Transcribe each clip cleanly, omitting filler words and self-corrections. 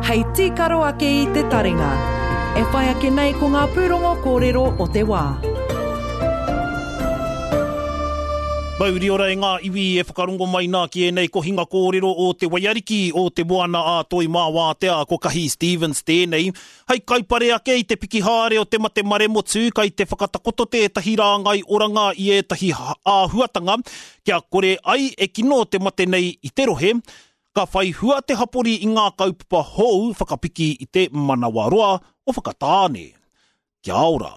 hei tīkaro ake i te taringa. E whai ake nei ko ngā pūrongo kōrero o te wā. Mauri ora e ngā iwi e whakarongo mai nā ki ēnei kohinga kōrero o Te Waiariki, o Te Moana a Toi mā Wātea, ko Kahi Stevens tēnei. Hei kaupare ake i te piki haere o te mate maremotu, kai te whakatakoto tētahi rāngai oranga i ētahi āhuatanga kia kore ai e kino te mate nei i te rohe. Ka whai hua te hapori i ngā kaupapa hou whakapiki i te manawaroa o Whakatāne. Kia ora.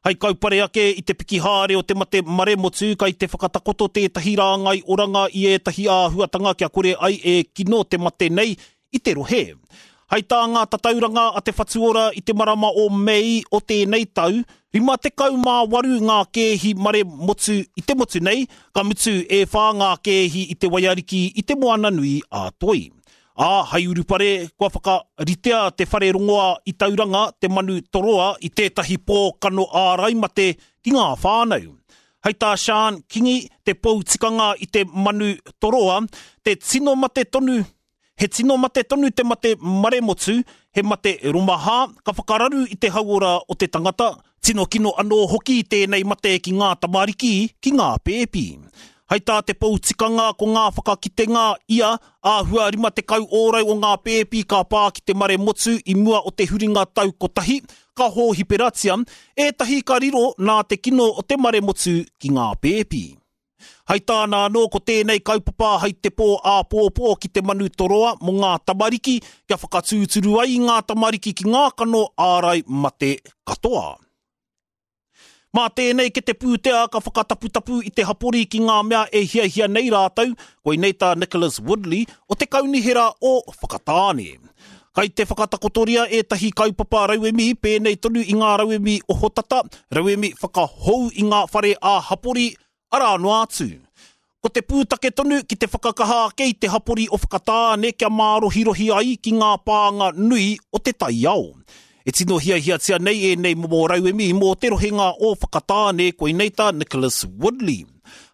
Hei kaupare ake i te piki haere o te mate maremotu, kai te whakatakoto tētahi rāngai oranga i ētahi āhuatanga kia kore ai e kino te mate nei i te rohe. Hei tā ngā tatauranga a Te Whatu Ora i te marama o Mei o tēnei tau, 58 ngā kēhi mare motu i te motu nei, ka mutu e whā ngā kēhi i te waiariki i te Moananui a Toi. Ā, hei urupare, kua whakaritea te whare rongoa i Tauranga, te Manu Toroa, i tētahi pō kano ārai mate ki ngā whānau. Hei tā Sian Kingi, te pou tikanga i te Manu Toroa, te tino mate tonu He tino mate tonu te mate maremotu, he mate romahā, ka whakararu i te hauora o te tangata, tino kino anō hoki tēnei mate ki ngā tamariki, ki ngā pēpi. Hei tā te pou tikanga ko ngā whakakitenga ia, āhua 50 ōrau o ngā pēpi ka pā ki te maremotu i mua o te huringa tau kotahi, ka hōhiperatia, ētahi ka riro nā te kino o te maremotu ki ngā pēpi. Hai tāna anō ko tēnei kaupapa hai te pō āpōpō ki te manu toroa mō ngā tamariki kia whakatūturu ai i ngā tamariki ki ngā kano ārai mate katoa. Mā tēnei kete pūtea ka whakataputapu i te hapori ki ngā mea e hiahia nei rātou, koinei tā Nicholas Woodley o te Kaunihera o Whakatāne. Kai te whakatakotoria ētahi kaupapa rauemi pēnei tonu i ngā rauemi ohotata, rauemi whakahou i ngā whare ā-hapori, arā noa atu. Ko te pūtake tonu ki te whakakaha ake i te hapori o Whakatāne kia mārohirohi ai ki ngā pānga nui o te taiao. E tino hiahiatia nei ēnei momo rauemi mō te rohenga o Whakatāne, koinei tā Nicholas Woodley.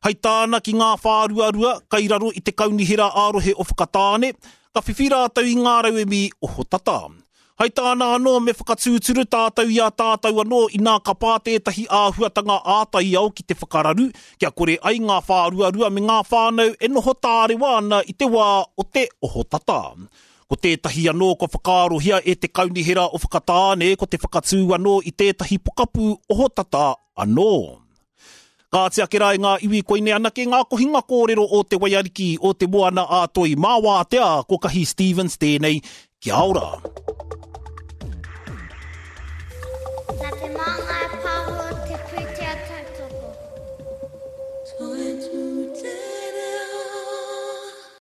Hai tāna ki ngā whāruarua kai raro i te Kaunihera ā-Rohe o Whakatāne, Ka whiwhi rātou i ngā rauemi ohotata. Hai tāna anō me whakatūturu tātou i a tātou anō inā ka pā tētahi āhuatanga ā-taiao ki te whakararu, kia kore ai ngā whāruarua me ngā whānau e noho tārewa ana i te wā o te ohotata. Ko tētahi anō kua whakaarohia e te Kaunihera o Whakatāne ko te whakatū anō i tētahi pokapū ohotata anō. Kāti ake rā e ngā iwi koinei anake ngā kohinga kōrero o Te Waiariki, o Te Moana a Toi mā Wātea, ko Kahi Stevens tēnei, kia ora. Nā Te Māngai Pāho.